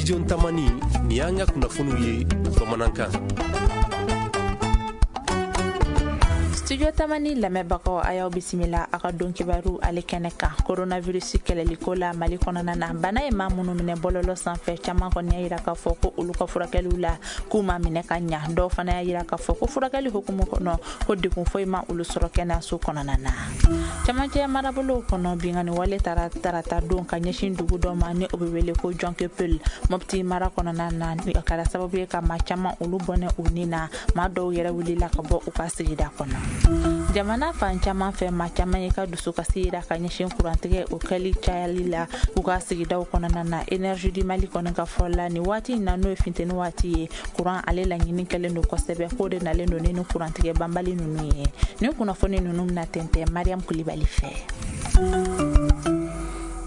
Studio Tamani, nin y'an ka kunnafoniw ye bamanankan. Studio Tamani lamɛnbagaw, a y'aw bisimila a ka don kibaru ale kɛnɛ kan. Coronavirus kɛlɛliko la Mali kɔnɔna na, bana ye maa minnu minɛ bɔlɔlɔ sanfɛ, caman kɔni y'a yira k'a fɔ ko olu ka furakɛliw la k'u ma minɛ ka ɲa. Dɔw fana y'a yira k'a fɔ ko furakɛli hukumu kɔnɔ ko degun foyi ma olu sɔrɔ kɛnɛyaso kɔnɔna na. Camancɛ marabolow kɔnɔ, binkanni wale taara tarata don ka ɲɛsin dugu dɔ ma ni o bɛ wele ko Jɔnkepel, Mopti mara kɔnɔna na. A kɛra sababu ye ka maa caman olu bɔnɛ u ni na. Maa dɔw yɛrɛ wulila ka bɔ u ka sigida kɔnɔ. Jamana fan caman fɛ, maa caman ye ka dusukasi yira ka ɲɛsin kurantigɛ o kɛli cayali la u ka sigidaw kɔnɔna na. Énergie du Mali kɔni ka fɔ la, nin waati in na, n'o ye funteni waati ye, kuran ale laɲini kɛlen don kosɛbɛ, k'o de nalen don ni kurantigɛ banbali ninnu ye. Nin kunnafoni ninnu bɛna tɛntɛn Mariam Kulibali fɛ.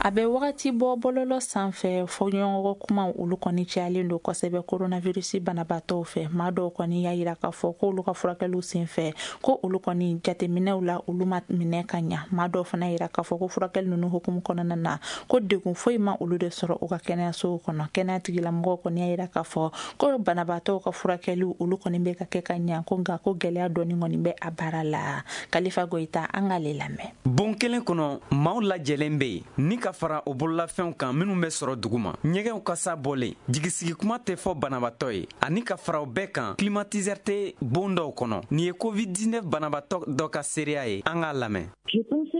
A bɛ wagati bɔ, bɔlɔlɔ sanfɛ fɔɲɔgɔnkɔ kumaw olu kɔni cayalen don kosɛbɛ coronavirus banabaatɔw fɛ. Maa dɔw kɔni y'a yira k'a fɔ k'olu ka furakɛliw senfɛ, ko olu kɔni jateminɛw la, olu ma minɛ ka ɲa. Maa dɔw fana yira k'a fɔ ko furakɛli ninnu hukumu kɔnɔna na, ko degun foyi ma olu de sɔrɔ u ka kɛnɛyasow kɔnɔ. Kɛnɛya tigilamɔgɔw kɔni y'a yira k'a fɔ ko banabaatɔw ka furakɛliw olu kɔni bɛ ka kɛ ka ɲa, ko nka ko gɛlɛya dɔɔni kɔni bɛ a baara la. Kalifa Goyita, an k'ale lamɛn. Bon kelen kɔnɔ, maaw lajɛlen bɛ yen ni ka fara o bololafɛnw kan minnu bɛ sɔrɔ dugu ma, ɲɛgɛnw kasa bɔlen, jigisigi kuma tɛ fɔ banabaatɔ ye, ani ka fara o bɛɛ kan, climatiseur tɛ bon dɔw kɔnɔ. Nin ye COVID-19 banabaatɔ dɔ ka seereya ye, an k'a lamɛn.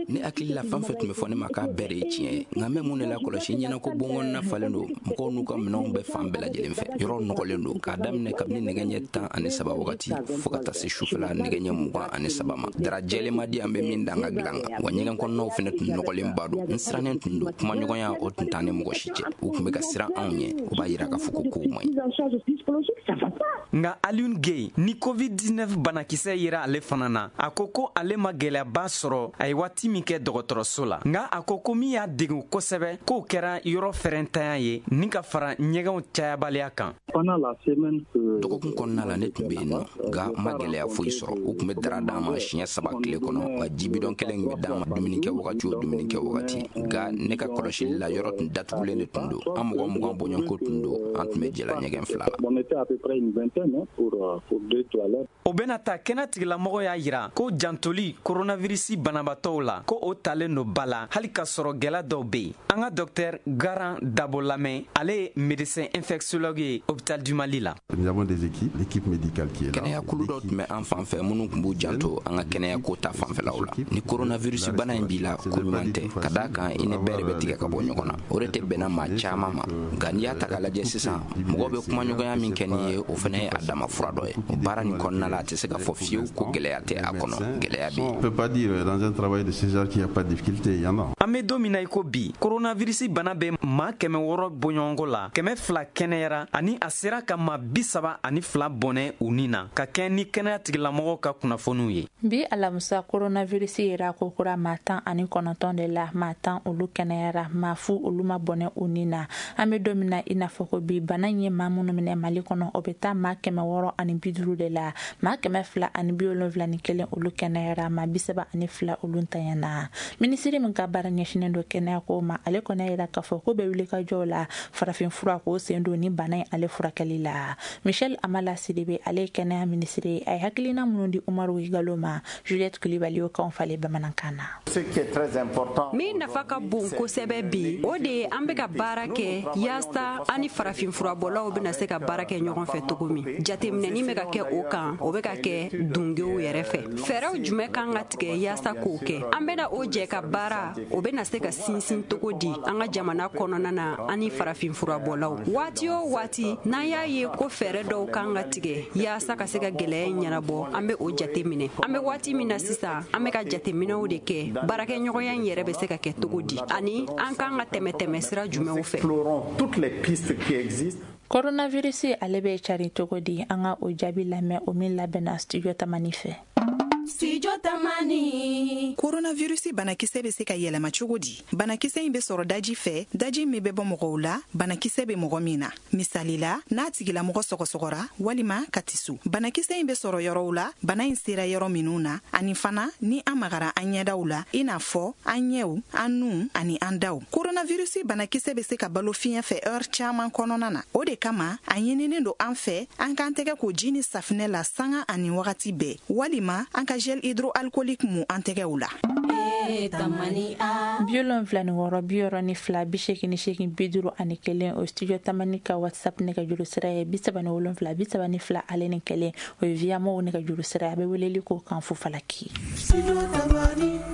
Ne hakili la, fɛn fɛn tun bɛ fɔ ne ma k'a bɛɛ de ye tiɲɛ ye, nka n bɛ mun de la kɔlɔsi ɲɛna ko bonkɔnɔna falen don mɔgɔw n'u ka minɛnw bɛ fan bɛɛ lajɛlen fɛ. Yɔrɔ nɔgɔlen don k'a daminɛ kabini nɛgɛ ɲɛ 13 wagati fɔɔ ka taa se sufɛla nɛgɛ ɲɛ 23 ma. Dara jɛlen ma di an bɛ min da an ka dilan kan wa, ɲɛgɛn kɔnɔnaw fɛnɛ tun nɔgɔlenba don. N sirannen tun don, kumaɲɔgɔnya o tun t'an ni mɔgɔ si cɛ. U tun bɛ ka siran anw ɲɛ, o b'a yira k'a fɔ ko kow man ɲi. Nka Alioune Gueye ni COVID-19 banakisɛ yera ale fana na, a ko ko ale ma gɛlɛyaba sɔrɔ a ye waati min kɛ dɔgɔtɔrɔso la. Nka a ko ko min y'a degun kosɛbɛ, k'o kɛra yɔrɔ fɛrɛntanya ye ni ka fara ɲɛgɛnw cayabaliya kan. Dɔgɔkun kɔnɔna la, ne tun bɛ yen nɔ, nka n ma gɛlɛya foyi sɔrɔ. U tun bɛ dara d'an ma siɲɛ 3 tile kɔnɔ, wa jibidɔn kelen tun bɛ d'an ma dumuni kɛ wagati o dumuni kɛ wagati. Nka ne ka kɔlɔsili la, yɔrɔ tun datugulen de tun don. An mɔgɔ 20 bɔɲɔgɔnko tun don, an tun bɛ jɛla ɲɛgɛn fila la. O bɛna ta, kɛnɛ tigilamɔgɔ y'a yira ko jantoli coronavirus banabaatɔw la, ko o talen don ba la hali k'a sɔrɔ gɛlɛya dɔw bɛ yen. An ka docteur Garan Dabo lamɛn, ale ye médecin infectiologue ye hôpital du Mali la. Kɛnɛyakulu dɔ tun bɛ an fan fɛ minnu tun b'u janto an ka kɛnɛyako ta fanfɛlaw la. Ni coronavirus bana in b'i la, ko ɲuman tɛ, ka d'a kan i ni bɛɛ de bɛ tigɛ ka bɔ ɲɔgɔn na. O de tɛ bɛnna maa caman ma. Nka n'i y'a ta k'a lajɛ sisan, mɔgɔw bɛ kumaɲɔgɔnya min kɛ n'i ye, o fana ye a dama fura dɔ ye. O baara nin kɔnɔna la, a tɛ se ka fɔ fiyewu ko gɛlɛya tɛ a kɔnɔ, gɛlɛya bɛ yen. An bɛ don min na i ko bi, coronavirus bana bɛ maa 600 bɔɲɔgɔnko la, 200 kɛnɛyara, ani a sera ka maa 32 bɔnɛ u ni na, ka kɛ ni kɛnɛya tigilamɔgɔw ka kunnafoniw ye. Bi alamisa, coronavirus yera ko kura maa 19 de la. Maa 10 olu kɛnɛyara, maa 0 olu ma bɔnɛ u ni na. An bɛ don min na i n'a fɔ ko bi, bana in ye maa minnu minɛ Mali kɔnɔ, o bɛ taa maa 650 de la. Maa 271 olu kɛnɛyara, maa 32 olu ntanyana. Minisiri min ka baara ɲɛsinnen don kɛnɛya ko ma, ale kɔni y'a yira k'a fɔ ko bɛ wuli ka jɔw la farafin fura k'o sen don ni bana in ale furakɛli la. Michel Amala Sidibe, ale ye kɛnɛya minisiri ye, a ye hakilina minnu di Umaru Igalo ma, Juliette Kulibali y'o kanw falen bamanankan na. Min nafa ka bon kosɛbɛ bi, o de ye an bɛ ka baara kɛ yaasa an ni farafin furabɔlaw bɛna se ka baara kɛ ɲɔgɔn fɛ cogo min. Jateminɛni bɛ ka kɛ o kan, o bɛ ka kɛ dungew yɛrɛ fɛ. Fɛɛrɛw jumɛn kan ka tigɛ yaasa k'o kɛ? An bɛna o jɛ ka baara, o bɛna se ka sinsin cogo di an ka jamana kɔnɔna na, an ni farafin furabɔlaw? Waati o waati n'an y'a ye ko fɛɛrɛ dɔw kan ka tigɛ yaasa ka se ka gɛlɛya in ɲɛnabɔ, an bɛ o jate minɛ. An bɛ waati min na sisan, an bɛ ka jateminɛw de kɛ, baarakɛɲɔgɔnya in yɛrɛ bɛ se ka kɛ cogo di, ani an kan ka tɛmɛ tɛmɛ sira jumɛnw fɛ. Coronavirus ale bɛ cari cogo di? An ka o jaabi lamɛn, o min labɛnna Studio Tamani fɛ. Studio Tamani. Coronavirus banakisɛ bɛ se ka yɛlɛma cogo di? Banakisɛ in bɛ sɔrɔ daji fɛ, daji min bɛ bɔ mɔgɔw la, banakisɛ bɛ mɔgɔ min na. Misali la, n'a tigilamɔgɔ sɔgɔsɔgɔra walima ka tiso. Banakisɛ in bɛ sɔrɔ yɔrɔw la, bana in sera yɔrɔ minnu na, ani fana ni an magara an ɲɛdaw la, i n'a fɔ an ɲɛw, an nun ani an daw. Coronavirus banakisɛ bɛ se ka balo fiɲɛ fɛ heure caman kɔnɔna na. O de kama, a ɲininen don an fɛ, an k'an tɛgɛ ko ji ni safinɛ la sanga ani wagati bɛɛ, walima an ka gel hydroalcoolique mu an tɛgɛw la. 76 88 51 o Studio Tamani ka WhatsApp nɛgɛjuru sira ye 77 32 ale ni 1 o ye Via Mɔw nɛgɛjuru sira ye. A bɛ weleli k'o kan fufalaki.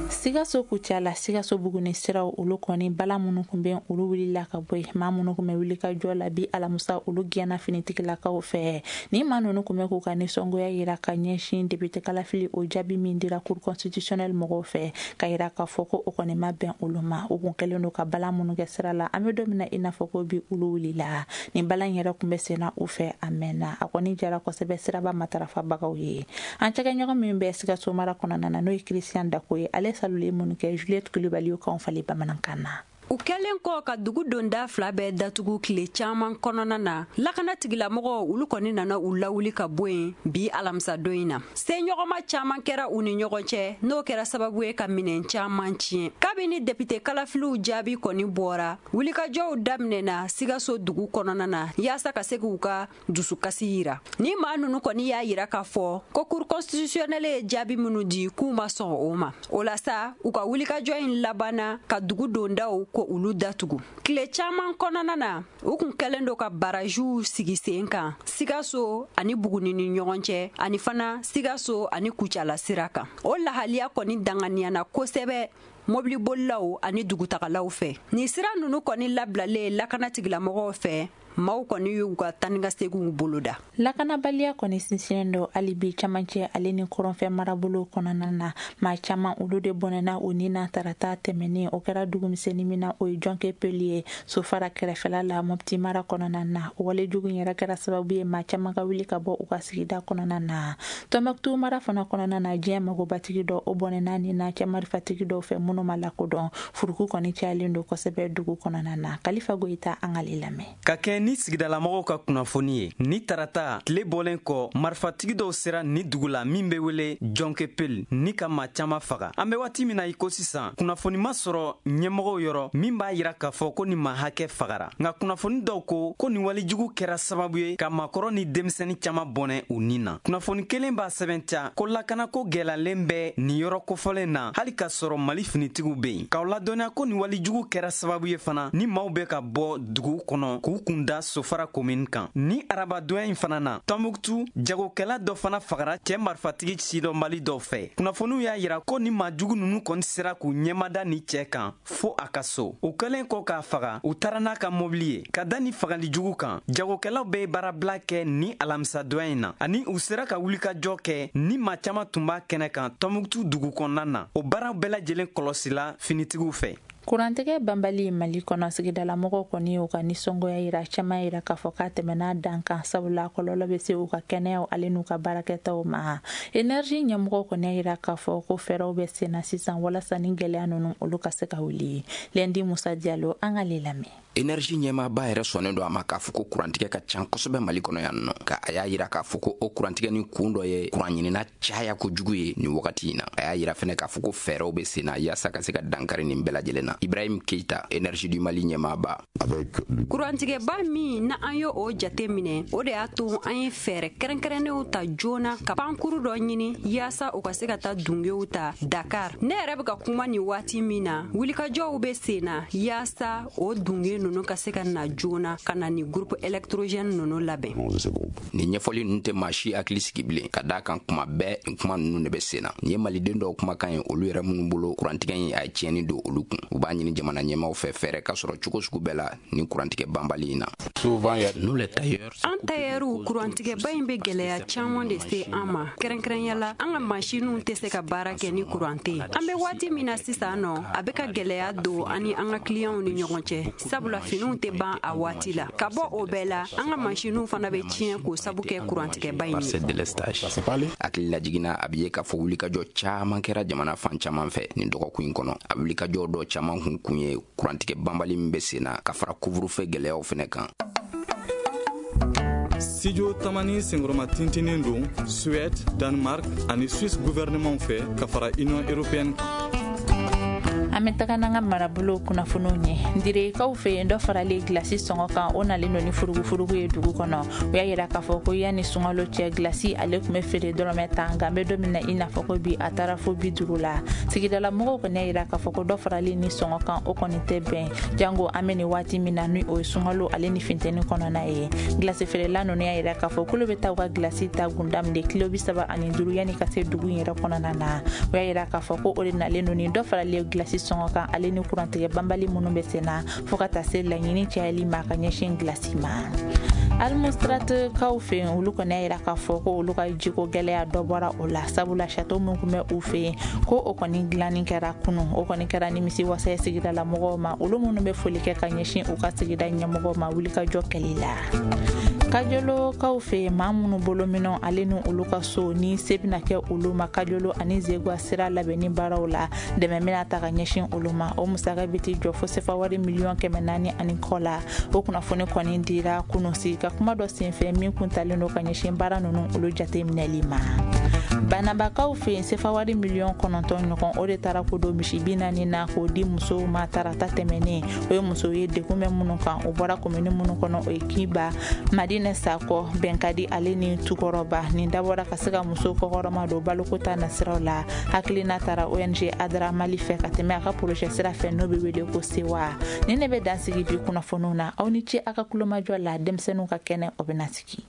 Sikaso Kucala, Sikaso Buguni siraw olu kɔni bala minnu tun bɛ olu wulila ka bɔ yen. Maa minnu tun bɛ wuli ka jɔ la bi alamisa olu gɛnna finitigilakaw fɛ. Ni maa ninnu tun bɛ k'u ka nisɔngoya yira ka ɲɛsin député kalafili o jaabi min dira cour constitutionnelle mɔgɔw fɛ, ka yira k'a fɔ ko o kɔni ma bɛn olu ma. U kun kɛlen don ka bala minnu kɛ sira la, an bɛ don min na i n'a fɔ ko bi olu wulila. Nin bala in yɛrɛ tun bɛ senna u fɛ a mɛnna. A kɔni jara kosɛbɛ siraba matarafabagaw ye. An cɛkɛɲɔgɔn min bɛ Sikaso mara kɔnɔna na, n'o ye Christian Dako ye, ale saloli minnu kɛ Juliette Kulibali y'o kanw falen bamanankan na. U kɛlen kɔ ka dugu donda fila bɛɛ datugu tile caman kɔnɔna na, lakana tigilamɔgɔw olu kɔni nana u lawuli ka bɔ yen bi alamisadon in na. Seɲɔgɔnma caman kɛra u ni ɲɔgɔn cɛ, n'o kɛra sababu ye ka minɛn caman tiɲɛ. Kabini député kalafiliw jaabi kɔni bɔra, wulikajɔw daminɛna Sikaso dugu kɔnɔna na yaasa ka se k'u ka dusukasi yira. Ni maa ninnu kɔni y'a yira k'a fɔ ko cour constitutionnelle ye jaabi minnu di k'u ma sɔn o ma. O la sa, u ka wulikajɔ in labanna ka dugu dondaw ko olu datugu. Tile caman kɔnɔna na, u kun kɛlen don ka barajiw sigi sen kan Sikaso ani Buguni ni ɲɔgɔn cɛ, ani fana Sikaso ani Kucala sira kan. O lahaliya kɔni danganiyana kosɛbɛ mobilibolilaw ani dugutagalaw fɛ. Nin sira ninnu kɔni labilalen lakana tigilamɔgɔw fɛ, maaw kɔni y'u ka tanigaseginw boloda. Lakanabaliya kɔni sinsinnen don hali bi camancɛ ale ni kɔrɔnfɛ marabolo kɔnɔna na. Maa caman olu de bɔnɛna u ni na tarata tɛmɛnen. O kɛra dugumisɛnnin min na, o ye Jɔnke Peli ye, Sofara kɛrɛfɛla la, Mopti mara kɔnɔna na. O walejugu in yɛrɛ kɛra sababu ye maa caman ka wuli ka bɔ u ka sigida kɔnɔna na. Tɔnbɔkutu mara fana kɔnɔna na, diɲɛ magobatigi dɔ o bɔnɛna ni na cɛ marifatigi dɔw fɛ minnu ma lakodɔn. Furuku kɔni cayalen don kosɛbɛ dugu kɔnɔna na. Kalifa Goyita, an k'ale lamɛn. Ka kɛ ni sigidalamɔgɔw ka kunnafoni ye, ni tarata tile bɔlen kɔ, marifatigi dɔw sera ni dugu la min bɛ wele Jɔnkepel ni ka maa caman faga. An bɛ waati min na i ko sisan, kunnafoni ma sɔrɔ ɲɛmɔgɔw yɔrɔ min b'a yira k'a fɔ ko ni maa hakɛ fagara. Nka kunnafoni dɔw ko ko nin walejugu kɛra sababu ye ka maakɔrɔ ni denmisɛnnin caman bɔnɛ u ni na. Kunnafoni kelen b'a sɛbɛntiya ko lakanako gɛlɛyalen bɛ nin yɔrɔ kofɔlen na, hali k'a sɔrɔ Mali finitigiw bɛ yen. K'aw ladɔnniya ko nin walejugu kɛra sababu ye fana ni maaw bɛ ka bɔ dugu kɔnɔ k'u kun da Sofara komini kan. Ni arabadonya in fana na, Tɔnbuktu jagokɛla dɔ fana fagara cɛ marifatigi sidɔnbali dɔw fɛ. Kunnafoniw y'a yira ko ni maajugu ninnu kɔni sera k'u ɲɛmada ni cɛ kan fo a ka so. U kɛlen kɔ k'a faga, u taara n'a ka mobili ye. Ka da ni fagalijugu kan, jagokɛlaw bɛ baarabila kɛ ni alamisadonya in na, ani u sera ka wulikajɔ kɛ ni maa caman tun b'a kɛnɛ kan Tɔnbuktu dugu kɔnɔna na. O baaraw bɛɛ lajɛlen kɔlɔsila finitigiw fɛ. Kurantigɛ banbali Mali kɔnɔ, sigidalamɔgɔw kɔni y'u ka nisɔngoya yira. Caman yira k'a fɔ k'a tɛmɛna dan kan, sabula kɔlɔlɔ bɛ se u ka kɛnɛyaw ale n'u ka baarakɛtaw ma. Énergie ɲɛmɔgɔw kɔni y'a yira k'a fɔ ko fɛɛrɛw bɛ sen na sisan walasa ni gɛlɛya ninnu olu ka se ka wuli. Lendi Musa Diallo, an k'ale lamɛn. Énergie ɲɛmaaba yɛrɛ sɔnnen don a ma k'a fɔ ko kurantigɛ ka ca kosɛbɛ Mali kɔnɔ yan nɔ. Nka a y'a yira k'a fɔ ko o kurantigɛ ni kun dɔ ye kuran ɲinina caya kojugu ye nin wagati in na. A y'a yira fɛnɛ k'a fɔ ko fɛɛrɛw bɛ sen na yaasa ka se ka dankari nin bɛɛ lajɛlen na. Ibrahim Keita, Énergie du Mali ɲɛmaaba. Kurantigɛba min na an ye o jate minɛ, o de y'a to an ye fɛɛrɛ kɛrɛnkɛrɛnnenw ta joona ka pankuru dɔ ɲini yaasa u ka se ka taa dungew ta Dakar. Ne yɛrɛ bɛ ka kuma nin waati min na, wulikajɔw bɛ sen na yaasa o dunge ninnu ka se ka na joona ka na ni groupe électrogène ninnu labɛn. Nin ɲɛfɔli ninnu tɛ maa si hakili sigi bilen, ka d'a kan kuma bɛɛ nin kuma ninnu de bɛ sen na. Nin ye maliden dɔw kumakan ye, olu yɛrɛ minnu bolo kurantigɛ in a ye tiɲɛni don olu kun. U b'a ɲini jamana ɲɛmaaw fɛ, fɛɛrɛ ka sɔrɔ cogo sugu bɛɛ la nin kurantigɛ banbali in na. An tayɛriw, kurantigɛba in bɛ gɛlɛya caman de se an ma. Kɛrɛnkɛrɛnya la, an ka masiniw tɛ se ka baara kɛ ni kuran tɛ yen. An bɛ waati min na sisan nɔ, a bɛ ka gɛlɛya don an ni an ka kiliyanw ni ɲɔgɔn cɛ, sabula finiw tɛ ban a waati la. Ka bɔ o bɛɛ la, an ka masiniw fana bɛ tiɲɛ k'o sabu kɛ kurantigɛba in ye. Hakili lajiginna, a bɛ ye k'a fɔ wulikajɔ caman kɛra jamana fan caman fɛ nin dɔgɔkun in kɔnɔ. A wulikajɔ dɔ caman kun ye kurantigɛ banbali min bɛ sen na, ka fara couvre-feu gɛlɛyaw fɛnɛ kan. Studio Tamani senkɔrɔma tintinin don Suède, Danemark ani Suisse gouvernement fɛ, ka fara Union européenne kan. An bɛ taga n'an ka marabolo kunnafoniw ɲɛ. Direkaw fɛ yen, dɔ faralen gilasi sɔngɔ kan, o nalen don ni furugufurugu ye dugu kɔnɔ. O y'a yira k'a fɔ ko yanni sunkalo cɛ, gilasi ale tun bɛ feere dɔrɔmɛ 10, nka an bɛ don min na i n'a fɔ ko bi, a taara fo 50 la. Sigidala mɔgɔw kɔni y'a yira k'a fɔ ko dɔ faralen ni sɔngɔ kan, o kɔni tɛ bɛn, jango an bɛ nin waati min na, ni o ye sunkalo ale ni funteni kɔnɔna ye. Gilasi feerela ninnu y'a yira k'a fɔ k'olu bɛ taa u ka gilasi ta gunda min de kilo 35 yanni ka se dugu in yɛrɛ kɔnɔna na. O y'a yira k'a fɔ ko o de nalen don ni dɔ faralen gilasi sɔngɔ kan, ale ni kurantigɛ banbali minnu bɛ sen na, fo ka taa se laɲini cayali ma ka ɲɛsin gilasi ma. Almostrate kaw fɛ yen, olu kɔni y'a yira k'a fɔ ko olu ka jiko gɛlɛya, dɔ bɔra o la, sabula château min tun bɛ u fɛ yen, ko o kɔni dilanni kɛra kunu. O kɔni kɛra nimisi wasa ye sigidala mɔgɔw ma, olu minnu bɛ foli kɛ ka ɲɛsin u ka sigida ɲɛmɔgɔw ma wulikajɔ kɛli la. Kajolokaw fɛ yen, maa minnu bolo minɛnw ale ni olu ka so ni se bɛna kɛ olu ma Kajolo ani Zegwa sira labɛnni baaraw la, dɛmɛ bɛna ta ka ɲɛsin olu ma. O musaka bɛ t'i jɔ fo sefa wari miliyɔn 400 ani kɔ la. O kunnafoni kɔni dira kunun sigi ka kuma dɔ senfɛ min kun talen don ka ɲɛsin baara ninnu olu jate minɛli ma. Banabakaw fɛ yen, sefa wari miliyɔn 9 ɲɔgɔn, o de taara ko don misi 40 na k'o di musow ma tarata tɛmɛnen. O ye musow ye degun bɛ minnu kan, o bɔra komini minnu kɔnɔ, o ye Kiba, Madinɛ Sakɔ, Bɛnkadi ale ni Tukɔrɔba. Nin dabɔra ka se ka musow kɔkɔrɔma don baloko ta nasiraw la. Hakilina taara ONG Adra Mali fɛ ka tɛmɛ a ka projet sira fɛ, n'o bɛ wele ko Sewa. Nin de bɛ dansigi bi kunnafoniw na. Aw ni ce aw ka kulomajɔ la. Denmisɛnninw ka kɛnɛ, o bɛna sigi.